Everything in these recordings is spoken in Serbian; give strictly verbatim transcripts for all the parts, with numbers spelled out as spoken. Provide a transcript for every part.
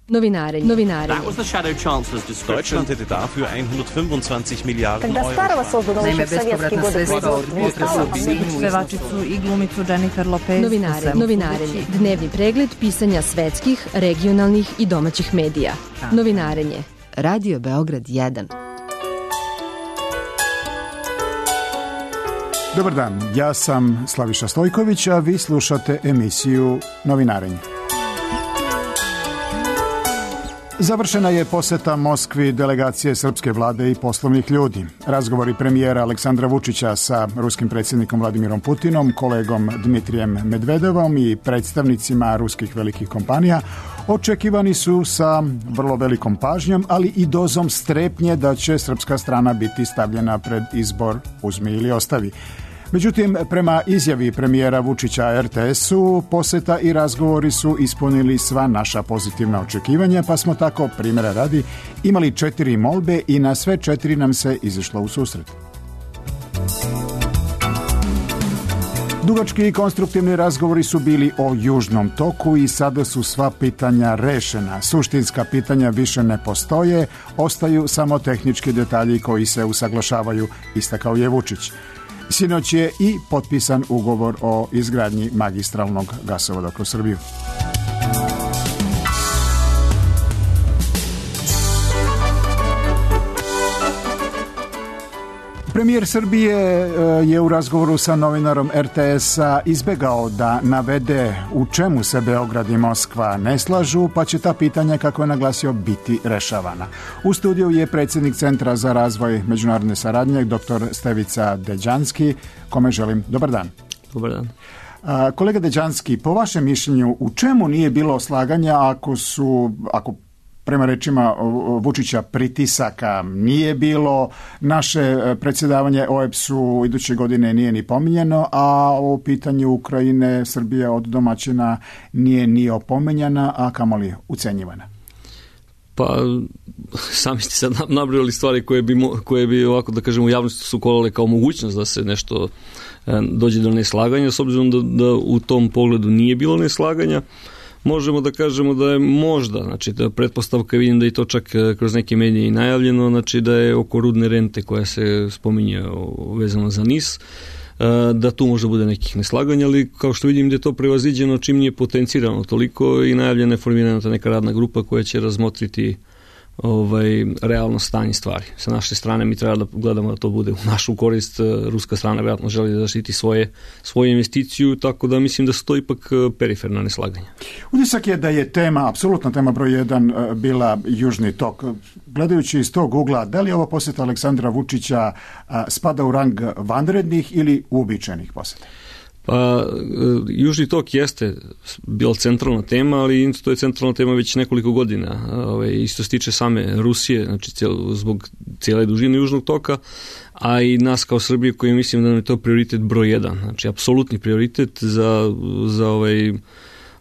Novinarenje. Novinarenje. That was the Shadow Chancellor's description. Deutschland hätte dafür hundertfünfundzwanzig Miliarden Когда Euro. старого созданного Naime, еще в советские годы производства. Pevačicu i glumicu Jennifer Lopez. Novinarenje. Novinarenje. Dnevni pregled pisanja svetskih, regionalnih i domaćih medija. Novinarenje. Radio Beograd jedan. Dobar dan, ja sam Slaviša Stojković, a vi slušate emisiju Novinarenje. Završena je poseta Moskvi delegacije srpske vlade i poslovnih ljudi. Razgovori premijera Aleksandra Vučića sa ruskim predsjednikom Vladimirom Putinom, kolegom Dmitrijem Medvedevom i predstavnicima ruskih velikih kompanija očekivani su sa vrlo velikom pažnjom, ali i dozom strepnje da će srpska strana biti stavljena pred izbor uzmi ili ostavi. Međutim, prema izjavi premijera Vučića er te esu, poseta i razgovori su ispunili sva naša pozitivna očekivanja, pa smo tako, primjera radi, imali četiri molbe i na sve četiri nam se izašlo u susret. Dugački i konstruktivni razgovori su bili o Južnom toku i sada su sva pitanja rešena. Suštinska pitanja više ne postoje, ostaju samo tehnički detalji koji se usaglašavaju, istakao je Vučić. Sinoć je i potpisan ugovor o izgradnji magistralnog gasovoda kroz Srbiju. Premijer Srbije je u razgovoru sa novinarom er te esa izbegao da navede u čemu se Beograd i Moskva ne slažu, pa će ta pitanja, kako je naglasio, biti rešavana. U studiju je predsjednik Centra za razvoj međunarodne saradnje, doktor Stevica Deđanski, kome želim dobar dan. Dobar dan. A, kolega Deđanski, po vašem mišljenju, u čemu nije bilo slaganja ako su, ako prema rečima Vučića pritisaka nije bilo, naše predsjedavanje o e pe su iduće godine nije ni pominjeno, a o pitanju Ukrajine Srbija od domaćina nije ni opominjana, a kamoli ucenjivana? Pa, sami ste sad nabrojali stvari koje bi, koje bi ovako, da kažemo, u javnosti su kolale kao mogućnost da se nešto dođe do neslaganja, s obzirom da, da u tom pogledu nije bilo neslaganja. Možemo da kažemo da je možda, znači da pretpostavka, vidim da je to čak kroz neke medije i najavljeno, znači da je oko rudne rente koja se spominje vezano za NIS, da tu možda bude nekih neslaganja, ali kao što vidim da je to prevaziđeno čim nije potencirano toliko i najavljena je formirana ta neka radna grupa koja će razmotriti ovaj, realno stanje stvari. Sa naše strane mi treba da gledamo da to bude u našu korist. Ruska strana vjerojatno želi da zaštiti svoje, svoju investiciju, tako da mislim da su to ipak periferna neslaganja. Utisak je da je tema, apsolutna tema broj jedan, bila Južni tok. Gledajući iz tog ugla, da li ova posjeta Aleksandra Vučića spada u rang vanrednih ili uobičajenih posjeta? Pa, Južni tok jeste bila centralna tema, ali to je centralna tema već nekoliko godina. Ove, isto se tiče same Rusije, znači cijel, zbog cijele dužine Južnog toka, a i nas kao Srbije koji mislim da nam je to prioritet broj jedan. Znači, apsolutni prioritet za, za ovaj,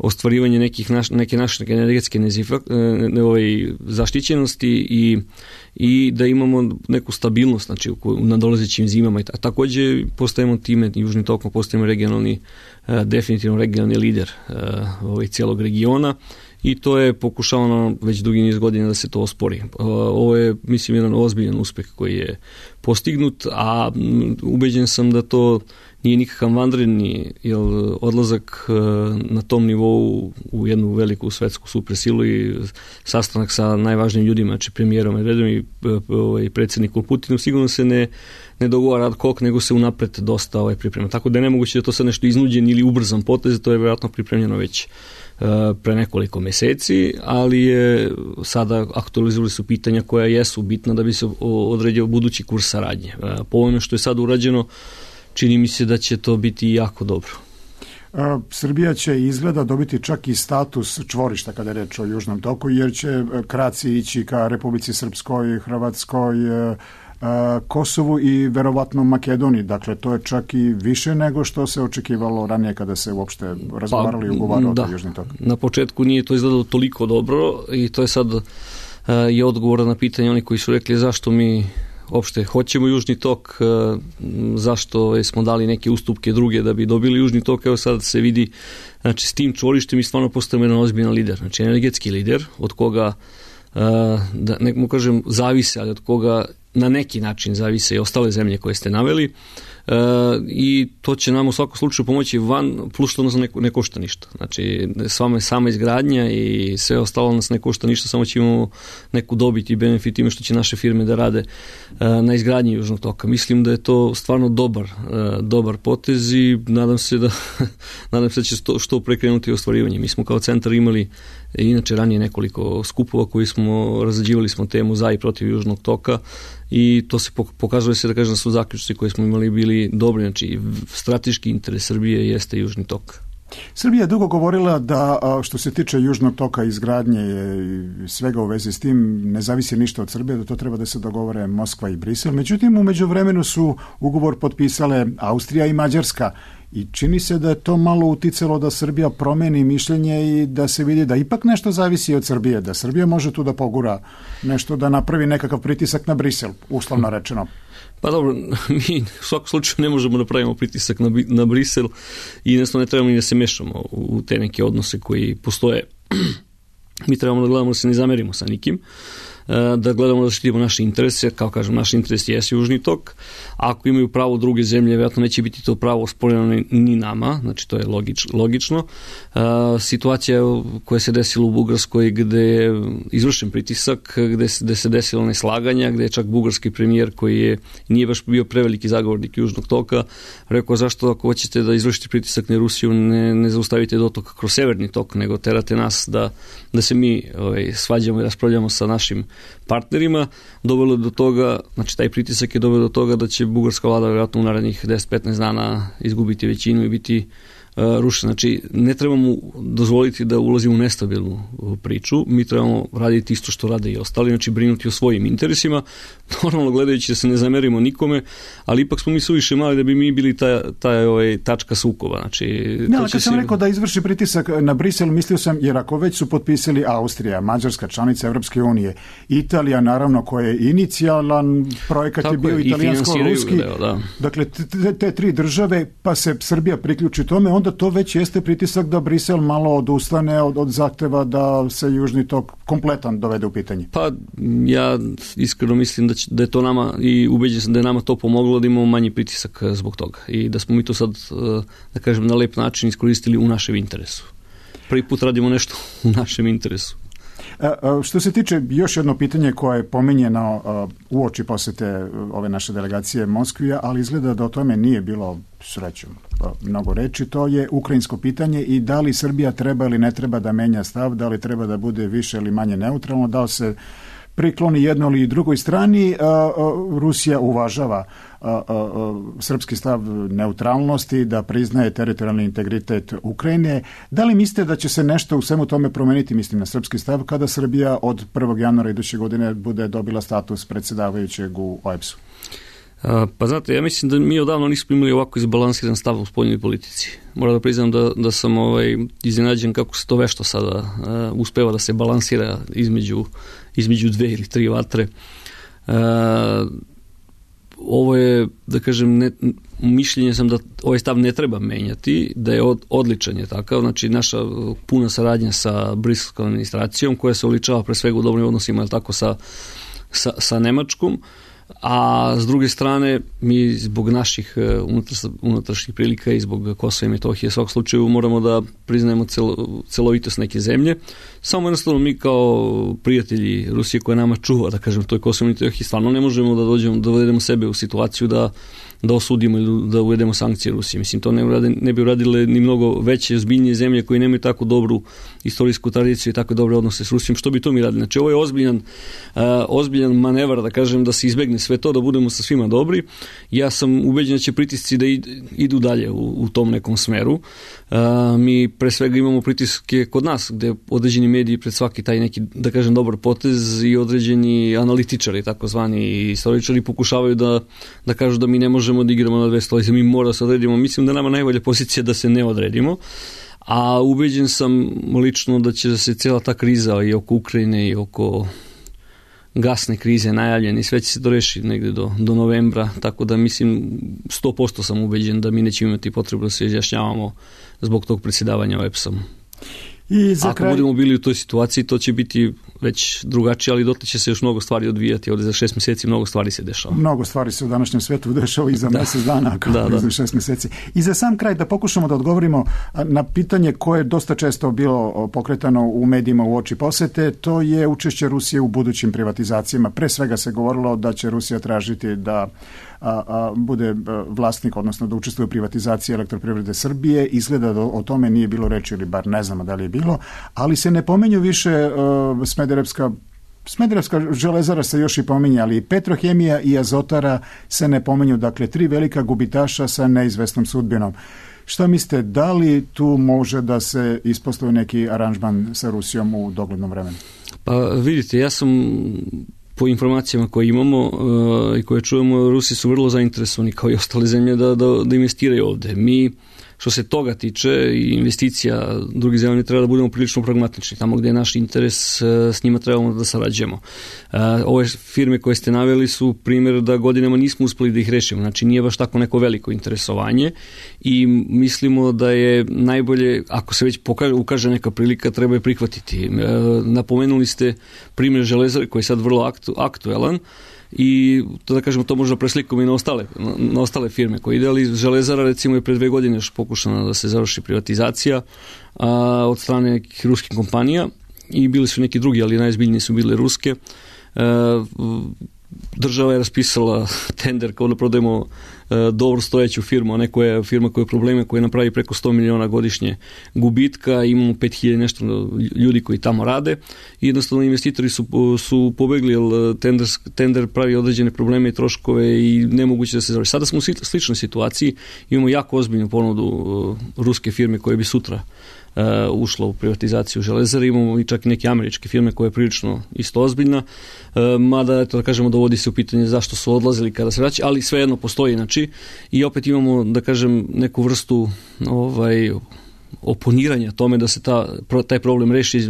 ostvarivanje nekih naš, neke naše energetske nezifa, ne, ovaj, zaštićenosti i, i da imamo neku stabilnost, znači, u, u nadolazećim zimama. A također postajemo time, Južnim tokom postajemo regionalni, definitivno regionalni lider ovaj, cijelog regiona i to je pokušavano već dugi niz godina da se to ospori. Ovo je, mislim, jedan ozbiljan uspeh koji je postignut, a ubeđen sam da to nije nikakav vanredni odlazak na tom nivou u jednu veliku svetsku supersilu i sastanak sa najvažnijim ljudima, znači premijerom Medvedevom i, i predsjednikom Putinom, sigurno se ne, ne dogovara ad hoc, nego se unapred dosta ovaj, priprema. Tako da je nemoguće da to sad nešto iznuđen ili ubrzan potez, to je vjerojatno pripremljeno već pre nekoliko meseci, ali je sada aktualizovali su pitanja koja jesu bitna da bi se odredio budući kurs saradnje. Po ovome što je sad urađeno, čini mi se da će to biti jako dobro. Srbija će izgleda dobiti čak i status čvorišta kada je reč o Južnom toku, jer će kraci ići ka Republici Srpskoj, Hrvatskoj, Kosovu i verovatno Makedoniji. Dakle, to je čak i više nego što se očekivalo ranije kada se uopšte razgovarali i ugovarali o Južnom toku. Na početku nije to izgledalo toliko dobro i to je sad je odgovor na pitanje oni koji su rekli zašto mi opšte hoćemo Južni tok, zašto smo dali neke ustupke druge da bi dobili Južni tok, evo sad se vidi, znači s tim čvorištem mi stvarno postajemo jedan ozbiljan lider, znači energetski lider, od koga, da ne kažem zavise, ali od koga na neki način zavise i ostale zemlje koje ste naveli, e, i to će nam u svakom slučaju pomoći van, plus što nas ne, ne košta ništa. Znači, sama, sama izgradnja i sve ostalo nas ne košta ništa, samo će imamo neku dobit i benefit ime što će naše firme da rade e, na izgradnji Južnog toka. Mislim da je to stvarno dobar, e, dobar potez i nadam se da nadam se da će što, što prekrenuti ostvarivanje. Mi smo kao centar imali inače ranije nekoliko skupova koji smo, razrađivali smo temu za i protiv Južnog toka i to se pokazuje se da kažem da su zaključci koje smo imali bili dobri, znači strateški interes Srbije jeste Južni tok. Srbija je dugo govorila da što se tiče Južnog toka, izgradnje i svega u vezi s tim ne zavisi ništa od Srbije, da to treba da se dogovore Moskva i Brisel. Međutim, u međuvremenu su ugovor potpisale Austrija i Mađarska i čini se da je to malo uticalo da Srbija promeni mišljenje i da se vidi da ipak nešto zavisi od Srbije, da Srbija može tu da pogura nešto, da napravi nekakav pritisak na Brisel, uslovno rečeno. Pa dobro, mi u svakom slučaju ne možemo da pravimo pritisak na, na Brisel i jednostavno ne trebamo ni da se mešamo u te neke odnose koji postoje. Mi trebamo da gledamo da se ne zamerimo sa nikim, da gledamo da štitimo naše interese, kao kažem, naš interes je Južni tok. Ako imaju pravo druge zemlje, vjerojatno neće biti to pravo osporeno ni nama, znači to je logič, logično. Situacija koja se desila u Bugarskoj gde je izvršen pritisak, gde se, gde se desilo neslaganja, gde je čak bugarski premijer koji je, nije baš bio preveliki zagovornik Južnog toka, rekao zašto ako hoćete da izvršite pritisak na Rusiju ne, ne zaustavite dotok kroz severni tok, nego terate nas da, da se mi ovaj, svađamo i raspravljamo sa našim partnerima, dovelo do toga, znači taj pritisak je doveo do toga da će bugarska vlada vjerojatno u narednih deset do petnaest dana izgubiti većinu i biti uh, rušena. Znači, ne trebamo dozvoliti da ulazimo u nestabilnu priču, mi trebamo raditi isto što rade i ostali, znači brinuti o svojim interesima, normalno gledajući da se ne zamerimo nikome, ali ipak smo mi suviše mali da bi mi bili ta, ta ovaj, tačka sukoba. Znači, ne, ali kad sam si... rekao da izvrši pritisak na Brisel, mislio sam, jer ako već su potpisali Austrija, Mađarska, članica Evropske unije, Italija, naravno, koja je inicijalan projekat tako je bio italijansko-ruski, da, da. Dakle, te, te tri države, pa se Srbija priključi tome, onda to već jeste pritisak da Brisel malo odustane od, od zahteva da se Južni tok kompletan dovede u pitanje. Pa, ja iskreno mislim da, će, da je to nama, i ubeđen sam da je nama to pomoglo da imamo manji pritisak zbog toga i da smo mi to sad, da kažem, na lep način iskoristili u našem interesu. Prvi put radimo nešto u našem interesu. Što se tiče još jedno pitanje koje je pominjeno u oči posete ove naše delegacije Moskvija, ali izgleda da o tome nije bilo srećom mnogo reči, to je ukrajinsko pitanje i da li Srbija treba ili ne treba da menja stav, da li treba da bude više ili manje neutralno, da li se prikloni jednoj ili drugoj strani. Rusija uvažava srpski stav neutralnosti, da priznaje teritorijalni integritet Ukrajine. Da li mislite da će se nešto u svemu tome promeniti, mislim na srpski stav, kada Srbija od prvog januara iduće godine bude dobila status predsjedavajućeg u O E B S-u? Pa znate, ja mislim da mi odavno nismo imali ovako izbalansiran stav u spoljnoj politici. Moram da priznam da, da sam ovaj, iznenađen kako se to vešto sada uh, uspeva da se balansira između, između dve ili tri vatre. Uh, ovo je, da kažem, ne, mišljenje sam da ovaj stav ne treba menjati, da je od, odličan je takav, znači naša puna saradnja sa briselskom administracijom koja se uličava pre svega u dobrim odnosima, ali tako sa, sa, sa Nemačkom, a s druge strane mi zbog naših unutrašnjih prilika i zbog Kosova i Metohije u svakog slučaju moramo da priznajemo celo, celovitost neke zemlje. Samo jednostavno mi kao prijatelji Rusije koja nama čuva, da kažem, toj Kosovo i Metohiji, stvarno ne možemo da dođemo, da dovedemo sebe u situaciju da da osudimo ili da uvedemo sankcije Rusije. Mislim, to ne, urade, ne bi uradile ni mnogo veće, ozbiljnije zemlje koje nemaju tako dobru istorijsku tradiciju i tako dobre odnose s Rusijom. Što bi to mi radili? Znači, ovo je ozbiljan, uh, ozbiljan manevar, da kažem, da se izbegne sve to, da budemo sa svima dobri. Ja sam ubeđen da će pritisci da idu dalje u, u tom nekom smeru. Uh, mi pre svega imamo pritiske kod nas, gde određeni mediji pred svaki taj neki, da kažem, dobar potez i određeni analitičari, takozvani istoričari, pokušavaju da, da kažu da mi ne možemo da igramo na dve stolice, mi mora da se odredimo. Mislim da nama najbolja pozicija da se ne odredimo, a ubeđen sam lično da će se cijela ta kriza i oko Ukrajine i oko gasne krize najavljeni, sve će se to rešiti negde do, do novembra, tako da mislim sto posto sam ubeđen da mi nećemo imati potrebu da se izjašnjavamo zbog tog predsjedavanja O E P S-om. I za Ako kraj... budemo bili u toj situaciji, to će biti već drugačije, ali dotle će se još mnogo stvari odvijati. Ovdje za šest mjeseci mnogo stvari se dešava. Mnogo stvari se u današnjem svetu dešava i za da. mjesec dana, kao da, da. za šest mjeseci. I za sam kraj da pokušamo da odgovorimo na pitanje koje je dosta često bilo pokretano u medijima u oči posete, to je učešće Rusije u budućim privatizacijama. Pre svega se govorilo da će Rusija tražiti da a, a, bude vlasnik, odnosno da učestvuje u privatizaciji Elektroprivrede Srbije. Izgleda da o tome nije bilo reči, ili bar ne znamo da li je bilo, ali se ne pomenju više uh, Smederevska Smederevska železara se još i pominje, ali i Petrohemija i Azotara se ne pominju, dakle tri velika gubitaša sa neizvesnom sudbinom. Šta mislite, da li tu može da se ispostavi neki aranžman sa Rusijom u doglednom vremenu? Pa vidite, ja sam po informacijama koje imamo uh, i koje čujemo, Rusi su vrlo zainteresovani kao i ostale zemlje da, da, da investiraju ovde. Mi, što se toga tiče i investicija drugih zemlja, treba da budemo prilično pragmatični. Tamo gde je naš interes, s njima trebamo da sarađujemo. Ove firme koje ste naveli su primjer da godinama nismo uspeli da ih rešimo. Znači nije baš tako neko veliko interesovanje i mislimo da je najbolje, ako se već pokaže, ukaže neka prilika, treba je prihvatiti. Napomenuli ste primjer Železare koji je sad vrlo aktu, aktuelan, i to da kažemo, to možda preslikamo i na ostale, na ostale firme koje ide, ali Železara recimo je pre dve godine još pokušana da se završi privatizacija a, od strane nekih ruskih kompanija i bili su neki drugi, ali najzbiljniji su bile ruske. A, država je raspisala tender kao da prodajemo e, dobro stojeću firmu, a ne koja je firma koja je probleme, koja napravi preko sto miliona godišnje gubitka, imamo pet hiljada nešto ljudi koji tamo rade i jednostavno investitori su, su pobegli, jer tender, tender pravi određene probleme i troškove i nemoguće da se završi. Sada smo u sličnoj situaciji, imamo jako ozbiljnu ponudu uh, ruske firme koje bi sutra Uh, ušla u privatizaciju Železare, imamo i čak i neke američke firme koje je prilično isto ozbiljna, uh, mada eto da kažemo dovodi se u pitanje zašto su odlazili kada se vraća, ali svejedno postoji, znači i opet imamo da kažem neku vrstu ovaj oponiranja tome da se ta, taj problem reši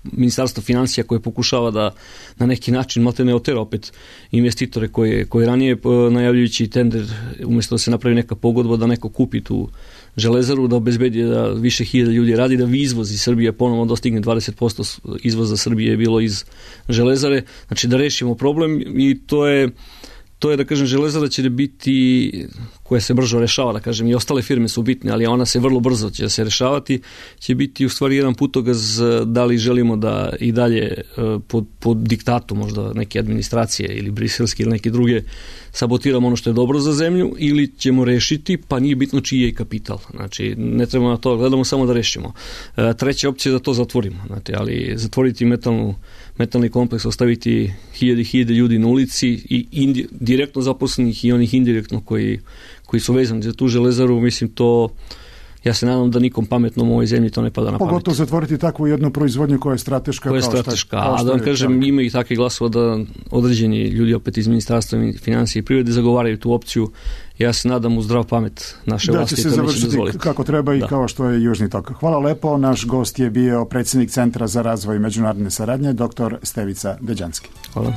Ministarstvo financija koje pokušava da na neki način maltene otera opet investitore koje, koje ranije najavljujući tender, umjesto da se napravi neka pogodba da neko kupi tu Železaru, da obezbedi da više hiljada ljudi radi, da vi izvoz iz Srbije ponovno dostigne dvadeset posto izvoza Srbije je bilo iz Železare, znači da rešimo problem i to je To je, da kažem, Železara će biti, koja se brzo rešava, da kažem, i ostale firme su bitne, ali ona se vrlo brzo će se rešavati, će biti u stvari jedan putokaz da li želimo da i dalje pod, pod diktatu možda neke administracije ili briselske ili neke druge sabotiramo ono što je dobro za zemlju ili ćemo rešiti, pa nije bitno čiji je i kapital. Znači, ne trebamo na to, gledamo samo da rešimo. Treća opcija je da to zatvorimo, znači, ali zatvoriti metalnu metalni kompleks, ostaviti hiljade i hiljade ljudi na ulici i indi, direktno zaposlenih i onih indirektno koji, koji su vezani za tu Železaru, mislim to, ja se nadam da nikom pametnom u ovoj zemlji to ne pada na pamet. Pogotovo zatvoriti takvu jednu proizvodnju koja je strateška. Koja je strateška, kao šta, a da vam kažem, ima i takve glasova da određeni ljudi opet iz Ministarstva financije i privrede zagovaraju tu opciju. Ja se nadam u zdrav pamet naše da vlasti. Da će se završiti kako treba i da. Kao što je Južni tok. Hvala lepo. Naš gost je bio predsjednik Centra za razvoj međunarodne saradnje, doktor Stevica Deđanski. Hvala.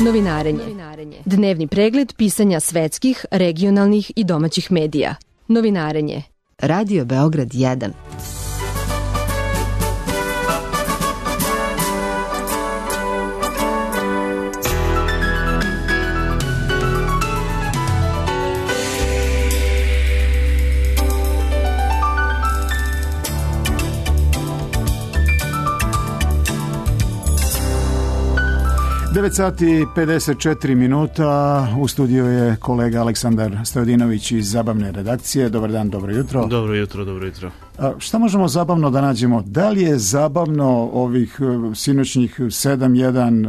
Novinarenje. Dnevni pregled pisanja svetskih, regionalnih i domaćih medija. Novinarenje. Radio Beograd jedan. devet sati i pedeset četiri minuta, u studiju je kolega Aleksandar Stojadinović iz Zabavne redakcije. Dobar dan, dobro jutro. Dobro jutro, dobro jutro. A šta možemo zabavno da nađemo? Da li je zabavno ovih sinoćnih sedam jedan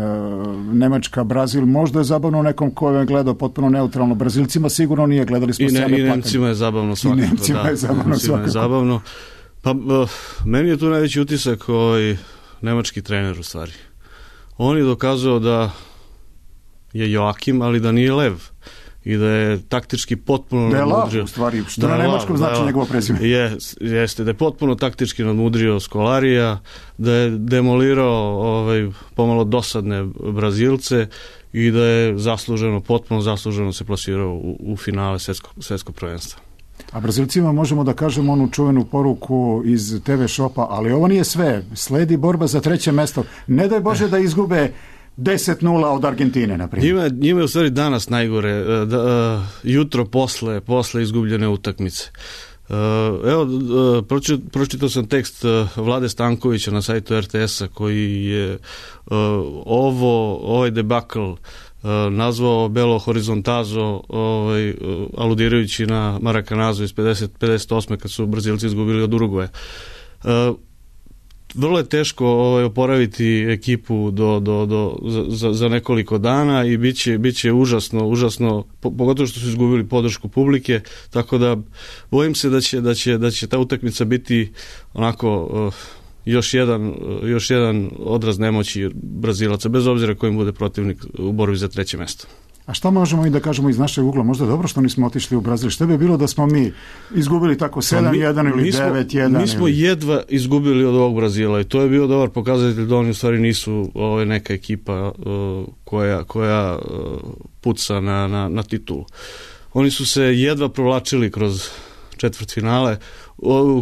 Nemačka, Brazil? Možda je zabavno nekom ko je gledao potpuno neutralno. Brazilcima sigurno nije, gledali smo I, ne, i Nemcima je zabavno svakako. I Nemcima da, je zabavno Nemcima svakako. Je zabavno. Pa uh, meni je tu najveći utisak ovaj nemački trener u stvari. On je dokazao da je Joakim, ali da nije Lev i da je taktički potpuno da je nadmudrio. Lav, u stvari, što na nemačkom znači da njegovo prezime. Je, jeste, da je potpuno taktički nadmudrio Skolarija, da je demolirao ovaj, pomalo dosadne Brazilce i da je zasluženo, potpuno zasluženo se plasirao u, u finale svetskog, svetskog prvenstva. A Brazilcima možemo da kažemo onu čuvenu poruku iz te ve šopa, ali ovo nije sve. Sledi borba za treće mesto. Ne daj Bože da izgube deset nula od Argentine, na primjer. Njima, njima je u stvari danas najgore, da, uh, jutro posle, posle izgubljene utakmice. Uh, evo, uh, pročitao, pročitao sam tekst uh, Vlade Stankovića na sajtu er te esa koji je uh, ovo, ovaj debakl uh, nazvao Belo Horizontazo, ovaj, uh, aludirajući na Marakanazo iz pedeset, pedeset osme kad su Brazilci izgubili od Urugvaja. Uh, Vrlo je teško ovaj, oporaviti ekipu do, do, do, za, za nekoliko dana i bit će, bit će užasno, užasno, pogotovo što su izgubili podršku publike, tako da bojim se da će, da će, da će ta utakmica biti onako uh, još jedan, uh, još jedan odraz nemoći Brazilaca, bez obzira kojim bude protivnik u borbi za treće mesto. A šta možemo i da kažemo iz našeg ugla? Možda dobro što nismo otišli u Brazil. Šta bi bilo da smo mi izgubili tako sedam jedan ili devet jedan? Mi smo ili... jedva izgubili od ovog Brazila i to je bio dobar pokazatelj da oni u stvari nisu ovaj, neka ekipa uh, koja, koja uh, puca na, na, na titulu. Oni su se jedva provlačili kroz četvrtfinale,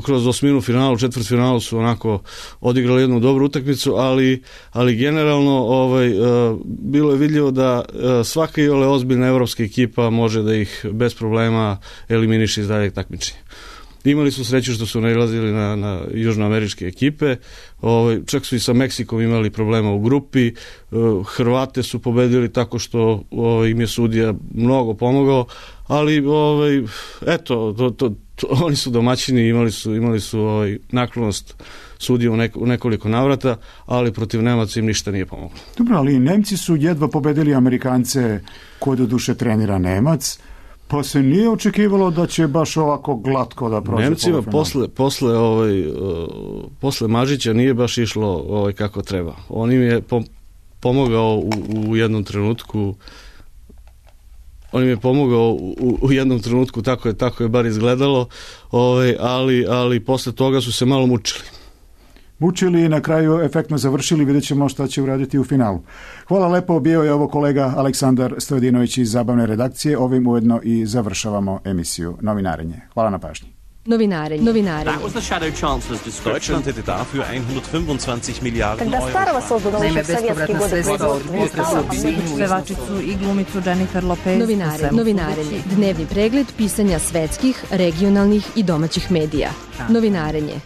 kroz osminu finalu, četvrtfinalu su onako odigrali jednu dobru utakmicu, ali, ali generalno ovaj, bilo je vidljivo da svaka iole ozbiljna evropska ekipa može da ih bez problema eliminiše iz daljeg takmičenja. Imali su sreću što su nailazili na, na južnoameričke ekipe, ovaj, čak su i sa Meksikom imali problema u grupi, Hrvate su pobedili tako što ovaj, im je sudija mnogo pomogao, ali ovaj, eto, to, to, to, oni su domaćini, imali su, imali su ovaj, naklonost sudije u, nek, u nekoliko navrata, ali protiv Nemaca im ništa nije pomoglo. Dobro, ali Nemci su jedva pobedili Amerikance koji do duše trenira Nemac, pa se nije očekivalo da će baš ovako glatko da prođe. Nemcima posle, posle, ovaj, uh, posle Mažića nije baš išlo ovaj, kako treba. On im je pom- pomogao u, u jednom trenutku on im je pomogao u, u jednom trenutku, tako je, tako je bar izgledalo, ovaj, ali, ali posle toga su se malo mučili. Mučili i na kraju efektno završili, vidjet ćemo šta će uraditi u finalu. Hvala lepo, bio je ovo kolega Aleksandar Stojadinović iz Zabavne redakcije, ovim ujedno i završavamo emisiju Novinarenje. Hvala na pažnji. Novinarenje. Novinarenje. Deutschland hätte dafür hundertfünfundzwanzig Milliarden Когда Euro. старого создано еще в советские годы производство. Pevačicu i glumicu Jennifer Lopez. Novinarenje. Novinarenje. Dnevni pregled pisanja svetskih, regionalnih i domaćih medija. Novinarenje.